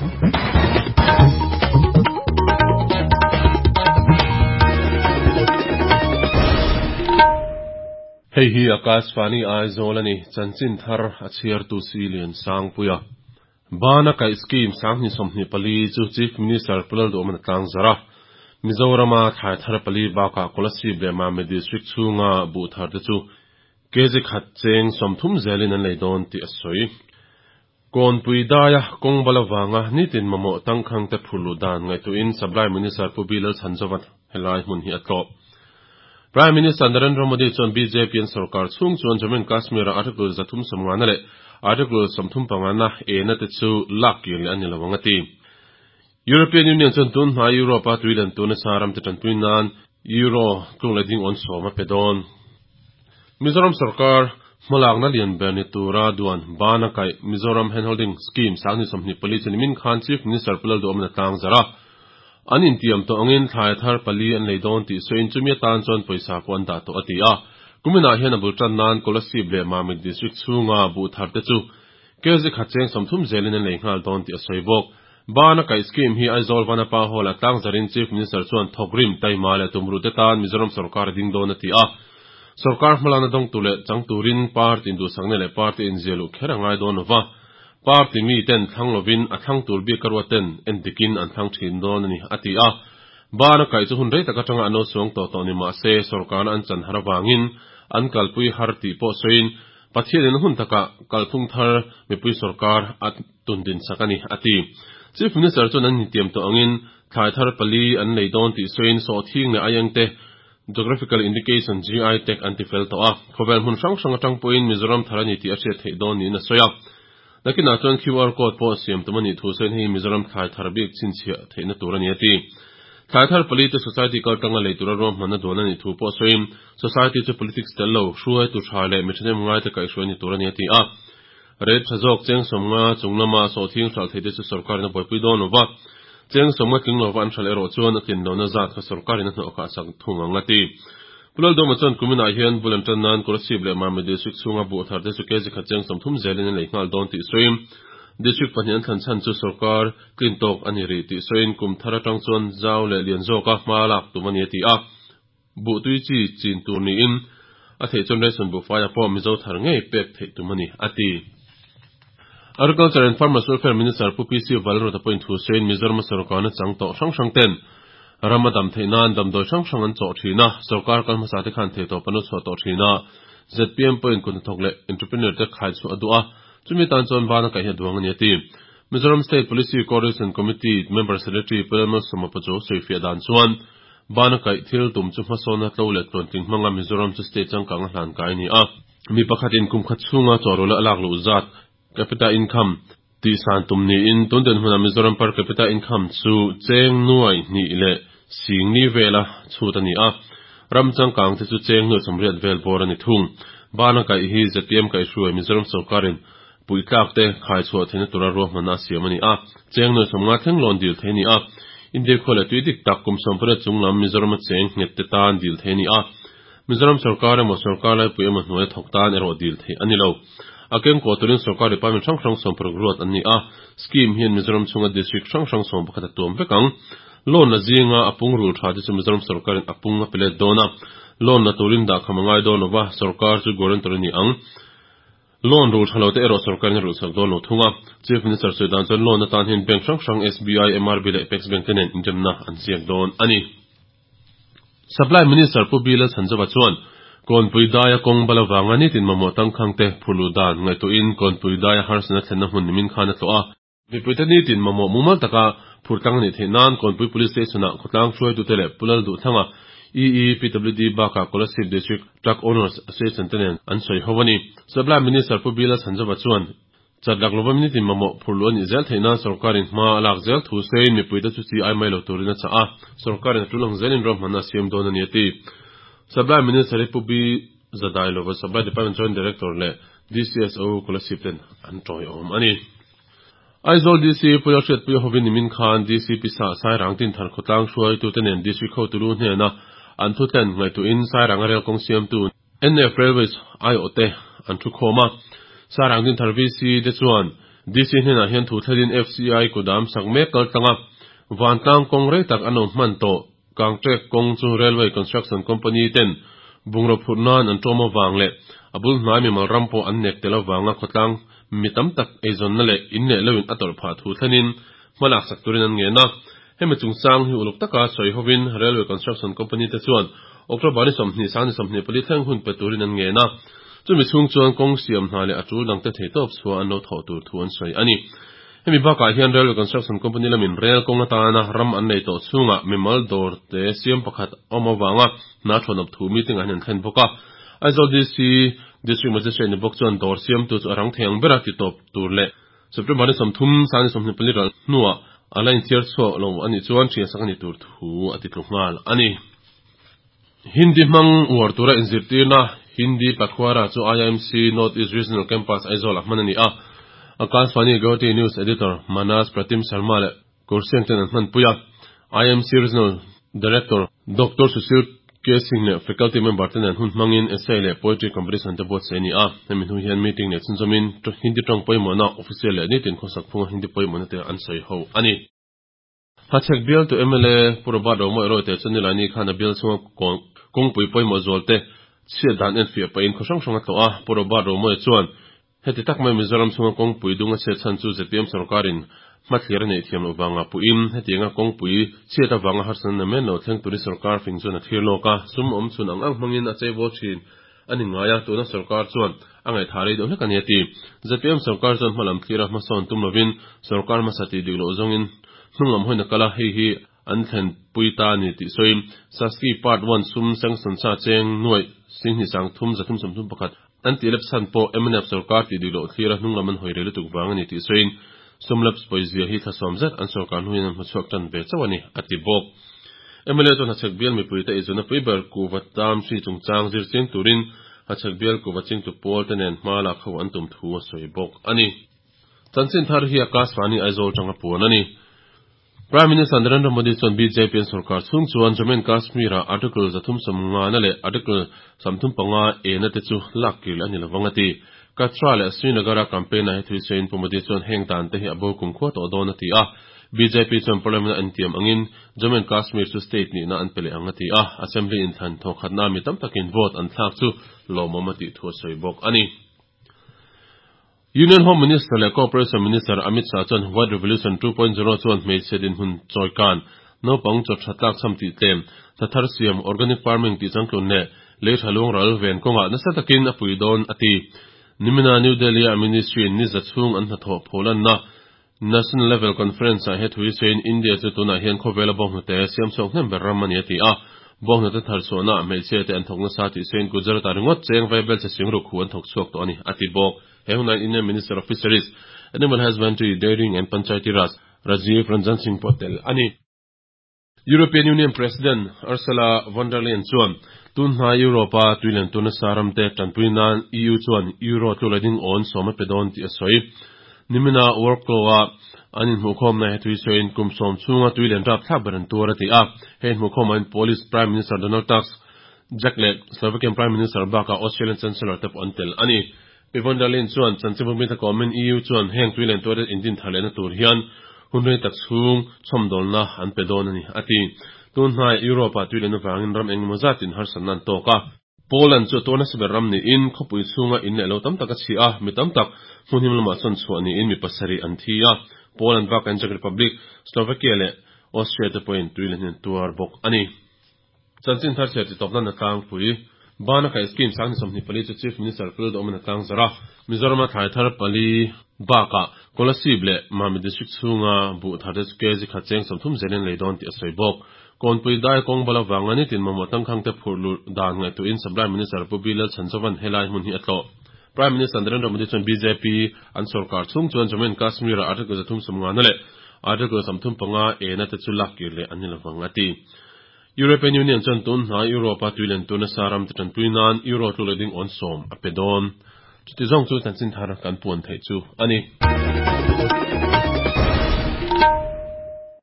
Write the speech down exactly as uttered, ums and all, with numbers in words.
Hei hi Akashvani Aizawl ani chanchin thar a chhiar tu si lian sang puia. Bana kai scheme sanghni sawmhnih pali chu Chief Minister Pulal Duhman tlang zara. Mizorama thlai thar pali baka Kolasib leh Mame district chhunga buh thar te chu kg khat cheng sawmthum zelin an lei dawn tih a sawi. Kawnpui daia kawng bala wanga nitin mamawh tangkhang te phurlu dan ngaihtuahin Supply Minister Pu Bilal Chhanzawat helai hmun hi a tlawh. Prime Minister Narendra Modi chuan B J P an sarkar chhung chuan Jammu and Kashmir article zathum sawmngana leh article sawmthum pangana ena te chu lak kir leh ani lo ang a ti. European Union chuan tun hma Europe a tuilan tuna saram te tanpui nan Euro tlung leh ding on sawm a pe dawn. Mizoram sarkar hmalakna lian ber ni tura duan bana kai Mizoram Handholding Scheme sangni sawmhnih pali chu nimin khan Chief Minister Pulal Duhman a tlang zara. An intiam to angin thlai thar pali an lei dawn tih sawiin chumi atan chuan pawisa pawh an dah tawh a ti a. Kumina hian a bul tan nan Kolasib leh Mamit district chhunga buh thar te chu kg khat cheng sawmthum zelin an lei nghal dawn tih a sawi bawk. Bana kai scheme hi Aizawl Vanapa Hall a tlang zarin Chief Minister chuan thawkrim taima leh tumru te tan Mizoram sarkar a ding dawn a ti a. Sarkar hmalakna dawng tu leh chang turin party induhsakna leh party inziah luh kher a ngai dawn lova. Party mi ten thlang lovin a thlang tur bik ka ruat ten entikin an thlang thin dawn ani a ti a. Bana kai chu hun rei tak atanga an lo suang tawh tawh ni mah se sarkarna an chan har awangin an kalpui har tih pawh sawiin Pathianin hun taka kalphung thar mipui sarkar a tundin sak ani a ti. Chief Minister chuan an intiam tawh angin thlai thar pali an lei dawn tih sawiin sawhthing leh aieng te Geographical Indication G I tag an ti fel tawh a. Khawvel hmun hrang hrang atang pawhin Mizoram thar ani tih a hriat theih dawn niin a sawi a. Nakina chuan Q R code pawh siam tum ani thu sawiin hei Mizoram thlai thar bik chhinchhiah theihna tur ani a ti. Thlai thar pali te society kaltanga lei tura ruahmanna duan ani thu pawh sawiin society chu politics tel lo hruai tu tha leh mi thahnem ngai te kaihhruai ni tur ani a ti a. Rate tha zawk cheng sawmnga chunglama sawhthing hral thei te chu sarkarin a buaipui dawn lova. Cheng sawmnga tling lova an hral erawh chuan a tlin lohna zat kha sarkarin a hnawh khah sak thung ang a ti. Pulal Duhma chuan kumina hian bul an tan nan Kolasib leh Mame district chhunga buh thar te chu kg khat cheng sawmthum zelin an lei nghal dawn tih sawiin district pahnih an thlan chhan chu sarkar tlin tawk ani ri tih sawiin kum thar atang chuan zau leh lian zawka hma lak tum ani a ti a. Buh tui chi chin tur niin a theih chuan ration buh faia pawh Mizo thar ngei pek theih tum ani a ti. Agriculture and Farmers Welfare Minister Pu P C Valrota pawhin thu sawiin Mizoram sarkarna chang tawh hrang hrang ten rama dam theih nan damdawi hrang hrang an chawh thin a. Sarkar kalhmasa te khan thei tawp an lo chhuah tawh thin a. Z P M pawhin kut hnathawk leh entrepreneur te khai chu a duh a. Chumi tan chuan bana kaih hi a duang ani a ti. Mizoram State Policy Coordination Committee Member Secretary Pulal Sawmapa chu sawifiah dan chuan bana kaih thil tum chu hmasawna tlo leh tluantling hmanga Mizoram chu state changkang a hlan kai ani a. Mi pakhatin kum khat chhunga chawrula a lak luh zat capita income ti san tum niin tun den hmuna Mizoram per capita income chu cheng nuai hnih leh sing ni vela chhut ani a. Ram changkang te chu cheng nuai sawmriat vel bawr ani thung. Bana kai hi Z P M kai hruai Mizoram sarkarin puitlak te khai chhuah theihna tura ruahmanna a siam ani a. Cheng nuai sawmnga thleng lawn dil thei ani a. India khawleh tui dik tak kum sawmpariat chunglam Mizoram a cheng nghet te tan dil thei ani a. Mizoram sarkar emaw sarkar laipui emaw hnuai thawk tan erawh dil thei ani lo. A keng kaw turin sarkar department hrang hrang sawm paruk ruat an ni a. Scheme hian Mizoram chhunga district hrang hrang sawm pakhat a tuam vek ang. Loan la zinga a pung rul tha te chu Mizoram sarkarin a pung a pe let dawn a. Loan la turin dah kham a ngai dawn lova sarkar chu guarantor ani ang. Loan rul tha lo te erawh sarkarin a rul sak dawn lo thung a. Chief Minister sawi dan chuan loan atan hian bank hrang hrang S B I, M R B leh Apex Bank te nen inremna an ziak dawn ani. Supply Minister Pu Bilal Chhanzawat chuan Kawnpui daia kawng bala wanga nitin mamawh tangkhang te phurlu dan ngaihtuahin kawnpui daia harsatna thlenna hmun nimin khan a tlawh a. Mipui te nitin mamawh mumal taka phurtlang ani theih nan Kawnpui Police Station-ah khawtlang hruaitute leh Pulal Duhthanga E E P W D baka Kolasib District Truck Owners Association te nen an sawi ho ani. Supply Minister Pu Bilal Chhanzawat chuan chatlak lova nitin mamawh phurlu ani zel theih nan sarkarin hma a lak zel thu sawiin mipui te chu chi ai mai lo turin a chah a. Sarkarin a tulang zelin ruahmanna a siam dawn ani a ti. Supply Minister Pu B Zadai lova Supply Department Joint Director leh D C S O Kolasib ten an tawiawm ani. Aizawl D C Pulal Hriatpui hovin nimin khan D C P sa Sairang tin thar khawtlang hruaitu te nen district ho tulu hnena an thu tlen ngaihtuahin Sairang a rel kawng siamtu N F Railways ai aw te an thu khawm a. Sairang tin thar V C te chuan D C hnenah hian thu thlenin F C I kudam sak mek kaltlanga vantlang kawng rei tak an awm hman tawh kangtrek kawng chu Railway Construction Company ten bungraw phurh nan an ṭawm avang leh a bul hnai mimal ram pawh an nek tel avanga khawtlang mi tam tak eizawnna leh in leh loin a tawrh phah thu thlenin hmalak sak turin an ngen a. Hemi chungchang hi uluk taka sawi hovin Railway Construction Company te chuan October ni sawmhnih sang ni sawmhnih pali thleng hun pe turin an ngen a. Chumi chhung chuan kawng siam hna leh a tul dangte thei tawp chhuah an lo thawh tur thu an sawi a ni. Hemi bakah hian Railway Construction Company lamin rail kawng atana ram an nei tawh chhungah mimal dawr te siam pakhat awm avanga hna thawnawp thu meeting ah hian an thlen bawk a. Aizawl D C District Magistrate ni bawk chuan dawr siamtu chu a rang thei ang bera ti tawp tur leh September ni sawmthum sang ni sawmhnih pali ral hnuah a la inchhiar chhuak lo anih chuan thian sak ani tur thu a ti tlu nghal a ni. Hindi hmang uar tura inzirtirna Hindi Pakhwara chu I M C North East Regional Campus Aizawl ah hman a ni a. Akashvani Guwahati News Editor Manas Pratim Sharma leh Kursiang ten an hman pui a. I M C Regional Director Doctor Sushil K Singh leh faculty member ten an hun hmangin essay leh poetry competition te buatsaih a ni a. Hemi hnu hian meeting leh chhunzawmin Hindi tawng pawimawhna official leh nitin khawsak phunga Hindi pawimawhna te an sawi ho a ni. Hachhek bial tu M L A Pu Robert Romawia Royte chuan nilai khan a bial chunga kawngpui pawimawh zual te chhiat dan en fiah pahin khaw hrang hrang a tlawh a. Pu Robert Romawia chuan heti tak mai Mizoram chunga kawngpui dung a chhiat chhan chu Z P M sarkarin hmathlir a neih thiam loh vanga puin hetianga kawngpui chhiat avanga harsatna namen lo thleng turin sarkar fing chuan a thlir lawk a. Sum awm chhun ang ang hmangin a cheibawl thin ani ngai a, tuna sarkar chuan a ngaihthah rei deuh hlek a ni a ti. Z P M sarkar chuan hmalam thlir a hmasawn tum lovin sarkar hmasa tih dik loh zawngin hnunglam hawina kala hei hi an thlen pui ta ni tih sawi. Saski Part one sum sanction sa cheng nuai singhnih sang thum zathum sawmthum pakhat an tih lep chhan pawh M N F sarkar tih dik loh thlir a hnunglam an hawi rei lutuk vang a ni tih sawiin sum laps pawizia hi thlasawm zet an sarkar hnuin an hmuchhuak tan ve chauh a ni a ti bawk. M L A chuan Hachhek bial mipui te eizawnna pui ber kuva tam hri chungchang zir chiang turin Hachhek bial kuva chingtu pawl te nen hma lak ho an tum thu a sawi bawk a ni. Chanchin thar hi Akashvani Aizawl tanga puan a ni. Prime Minister Narendra Modi chuan B J P an sarkar chhung chuan Jammu and Kashmir ah Article zathum sawmnga na leh Article sawmthum panga e na te chu lak kil a ni lovang a ti. Katra leh Srinagar a campaign ah he thui sawiin Pu Modi chuan heng dan te hi a bo kum khua tawh dawn a ti a. B J P chuan Parliament an tiam angin Jammu and Kashmir chu state nihna an pe leh ang a ti a. Assembly inthlan thawkhatna mi tam takin vote an thlak chu lawmawm a tih thu a sawi bawk a ni. Union Home Minister leh Cooperation Minister Amit Shah chuan White Revolution two point zero chuan hmeichhe dinhmun chawikan naupang chaw tha tlak cham tih tlem hnathar siam organic farming tih changtlun leh lei tha luang ral ven kawngah nasa takin a pui dawn a ti. Nimina New Delhi a ministry in ni za chhung an hnathawh pholanna National Level Conference ah he thui sawiin India chu tunah hian khawvel a bawnghnute siam chhuak hnem ber ram a ni a ti a. Bawnghnute thar chhuahna hmeichhe te an thawk nasa tih sawiin Gujarat ah ringawt cheng vaibel che sing ruk hu an thawk chhuak tawh a ni a ti bawk. He hunain Indian Minister of Fisheries, Animal Husbandry, Dairying and Panchayati Raj, Rajiv Ranjan Singh Patel a ni. European Union President Ursula von der Leyen chuan tunhna Europe a tuilen tuna saram te tanpui nan E U chuan Euro tlula ding awn sawm a pe dawn tih a sawi. Nimina Warklow a an inhmuhkhawmna he thui sawiin kum sawm chhunga tuilen rap thlak ber an tur a ti a. He inhmuhkhawmah in Polish Prime Minister Donald Tusk, Jack leh Slovakian Prime Minister bakah Australian Chancellor te pawh an tel a ni. Pi von der Leyen chuan chanchinbu mi takawmin E U chuan heng tuilen tuar indin thar lehna tur hian hun rei tak chhung chhawmdawlna an pe dawn a ni a ti. Tunhnai Europe ah tuilen avangin ram engemaw zatin harsatna an tawk a. Poland chu tuarna siber ram niin khawpui chhunga in leh lo tam tak a chhi a, mi tam tak hmun him lamah chuan chhuah niin mi pasarih an thi a. Poland bak Czech Republic, Slovakia leh Austria te pawhin tuilen hian tuar bawk a ni. Chanchin thar chhiar ti tawpna na tlangpui Bana kai scheme sang ni sawmhnih pali chu Chief Minister Pu Lalduhawma na tlang zara. Mizoram a thlai thar pali bakah Kolasib leh Mami District chhunga buh thar te chu kg khat cheng sawmthum zelin lei dawn tih a sawi bawk. Kawnpui dai kawng bala wanga ni tin mamawh tangkhang te phurh lut dan ngaihtuahin Supply Minister Pu B Lal Chhanzovan helai hmun hi a tlawh. Prime Minister Narendra Modi chuan B J P an sarkar chhung chuan Jammu and Kashmir ah Article zathum sawmnga na leh Article sawmthum panga e na te chu lak kir leh an ni lovang a ti. European Union chuan tunhna Europe a tuilen tuna saram te tanpui nan Euro tlula ding awn sawm a pe dawn. Chuti zawng chu chanchin thar kan puan theih chu a ni.